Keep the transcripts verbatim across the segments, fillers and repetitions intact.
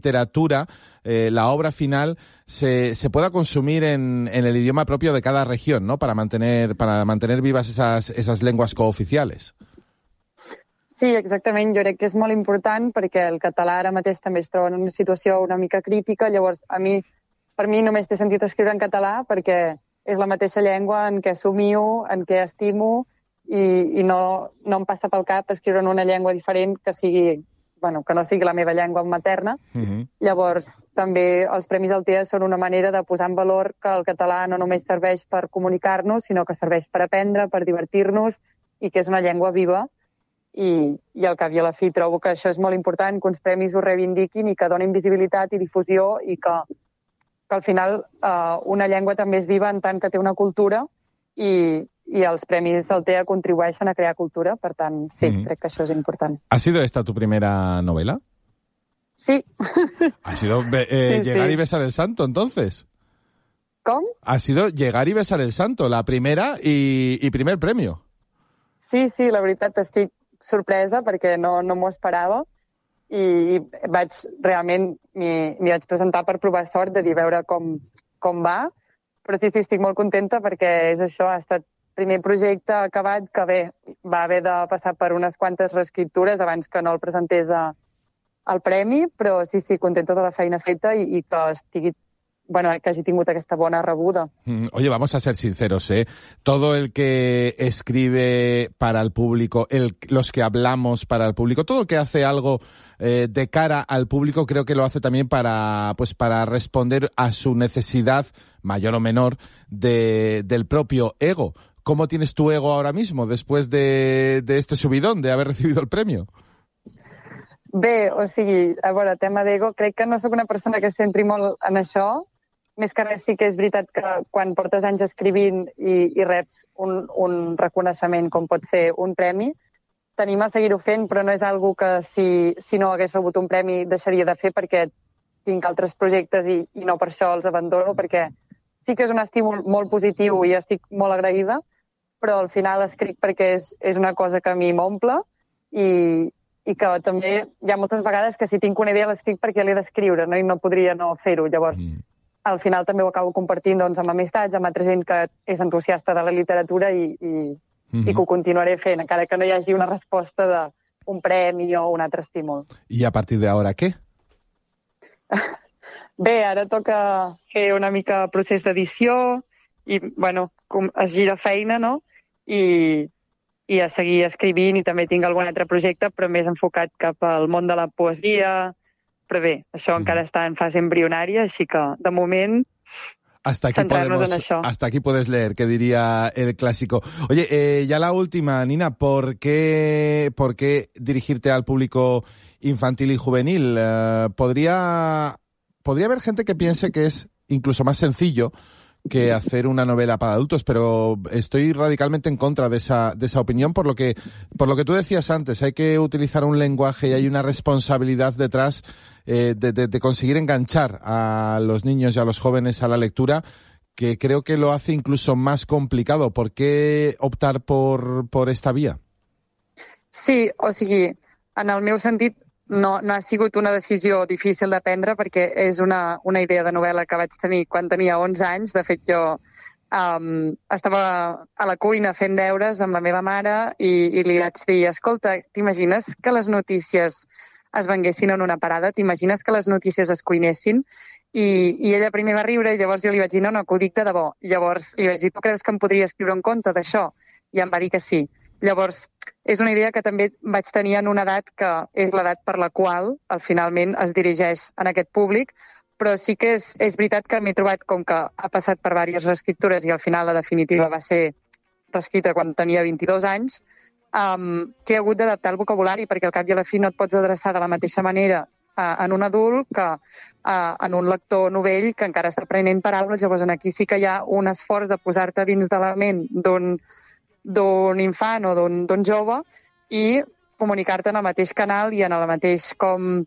literatura, eh, la obra final, se, se pueda consumir en, en el idioma propio de cada región, ¿no? Para mantener, para mantener vivas esas, esas lenguas cooficiales. Sí, exactament. Jo crec que és molt important perquè el català ara mateix també es troba en una situació una mica crítica. Llavors, a mi, per mi només té sentit escriure en català perquè és la mateixa llengua en què somio, en què estimo, i, i no, no em passa pel cap escriure en una llengua diferent que sigui, bueno, que no sigui la meva llengua materna. Uh-huh. Llavors, també els Premis Altea són una manera de posar en valor que el català no només serveix per comunicar-nos, sinó que serveix per aprendre, per divertir-nos, i que és una llengua viva. I, i al cap i a la fi trobo que això és molt important, que uns premis ho reivindiquin i que donin visibilitat i difusió, i que, que al final eh, una llengua també és viva en tant que té una cultura, i, i els Premis Altea contribueixen a crear cultura. Per tant, sí, mm. crec que això és important. ¿Ha sido esta tu primera novela? Sí. ¿Ha sido eh, sí, Llegar sí. y besar el santo, entonces? ¿Com? Ha sido Llegar y besar el santo, la primera y, y primer premio. Sí, sí, la veritat estic sorpresa perquè no, no m'ho esperava, i vaig realment m'hi vaig presentar per provar sort, de dir a veure com, com va, però sí, sí, estic molt contenta perquè és això, ha estat primer projecte acabat que bé, va haver de passar per unes quantes reescriptures abans que no el presentés a, al premi, però sí, sí, contenta de la feina feta i, i que estigui bueno, que hagi tingut aquesta bona rebuda. Oye, vamos a ser sinceros, ¿eh? Todo el que escribe para el público, el, los que hablamos para el público, todo el que hace algo eh, de cara al público, creo que lo hace también para, pues, para responder a su necesidad, mayor o menor, de, del propio ego. ¿Cómo tienes tu ego ahora mismo, después de, de este subidón, de haber recibido el premio? Bé, o sigui, a veure, tema d'ego, crec que no sóc una persona que es centri molt en això. Més que res sí que és veritat que quan portes anys escrivint i, i reps un, un reconeixement com pot ser un premi, t'anima a seguir-ho fent, però no és algo que si, si no hagués rebut un premi deixaria de fer, perquè tinc altres projectes i, i no per això els abandono, perquè sí que és un estímul molt positiu i estic molt agraïda, però al final escric perquè és, és una cosa que a mi m'omple, i, i que també hi ha moltes vegades que si tinc una idea l'escric perquè l'he d'escriure, no? I no podria no fer-ho. Llavors, mm. al final també ho acabo compartint doncs, amb amistats, amb altra gent que és entusiasta de la literatura, i, i, mm-hmm. i que ho continuaré fent, encara que no hi hagi una resposta d'un premi o un altre estímul. I a partir de ara què? Bé, ara toca fer una mica procés d'edició i, bueno, es gira feina, no? I, i a seguir escrivint, i també tinc algun altre projecte, però més enfocat cap al món de la poesia. Però bé, això mm. encara està en fase embrionària, així que, de moment, hasta aquí centrarnos podemos, en això. Hasta aquí puedes leer, que diría el clásico. Oye, eh, ya la última, Nina, ¿por qué, por qué dirigirte al público infantil y juvenil? Eh, ¿podría, podría haber gente que piense que es incluso más sencillo que hacer una novela para adultos, pero estoy radicalmente en contra de esa de esa opinión, por lo que por lo que tú decías antes, hay que utilizar un lenguaje y hay una responsabilidad detrás eh, de, de, de conseguir enganchar a los niños y a los jóvenes a la lectura, que creo que lo hace incluso más complicado. ¿Por qué optar por, por esta vía? Sí, o sigui, en el meu sentit, No, no ha sigut una decisió difícil de prendre, perquè és una, una idea de novel·la que vaig tenir quan tenia onze anys. De fet, jo um, estava a la cuina fent deures amb la meva mare i, i li vaig dir, escolta, t'imagines que les notícies es venguessin en una parada? T'imagines que les notícies es cuinessin? I, i ella primer va riure, i llavors jo li vaig dir, no, no, que ho dic de debò. I llavors li vaig dir, tu creus que em podria escriure un conte d'això? I em va dir que sí. Llavors, és una idea que també vaig tenir en una edat que és l'edat per la qual al finalment es dirigeix en aquest públic, però sí que és, és veritat que m'he trobat, com que ha passat per diverses reescriptures i al final la definitiva va ser reescrita quan tenia vint-i-dos anys, um, que he hagut d'adaptar el vocabulari, perquè al cap i a la fi no et pots adreçar de la mateixa manera uh, en un adult que uh, en un lector novell que encara està aprenent paraules. Llavors aquí sí que hi ha un esforç de posar-te dins de la ment d'un d'un infant o d'un jove i comunicar-te en el mateix canal i en el mateix com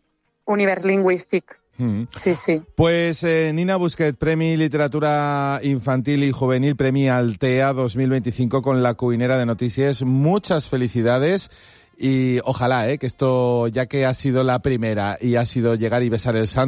univers lingüístic. Mm. Sí, sí. Pues eh, Nina Busquet, Premi Literatura Infantil y Juvenil, Premi Altea dos mil veinticinco con La Cuinera de Noticias. Muchas felicidades y ojalá eh, que esto, ya que ha sido la primera y ha sido Llegar y besar el santo,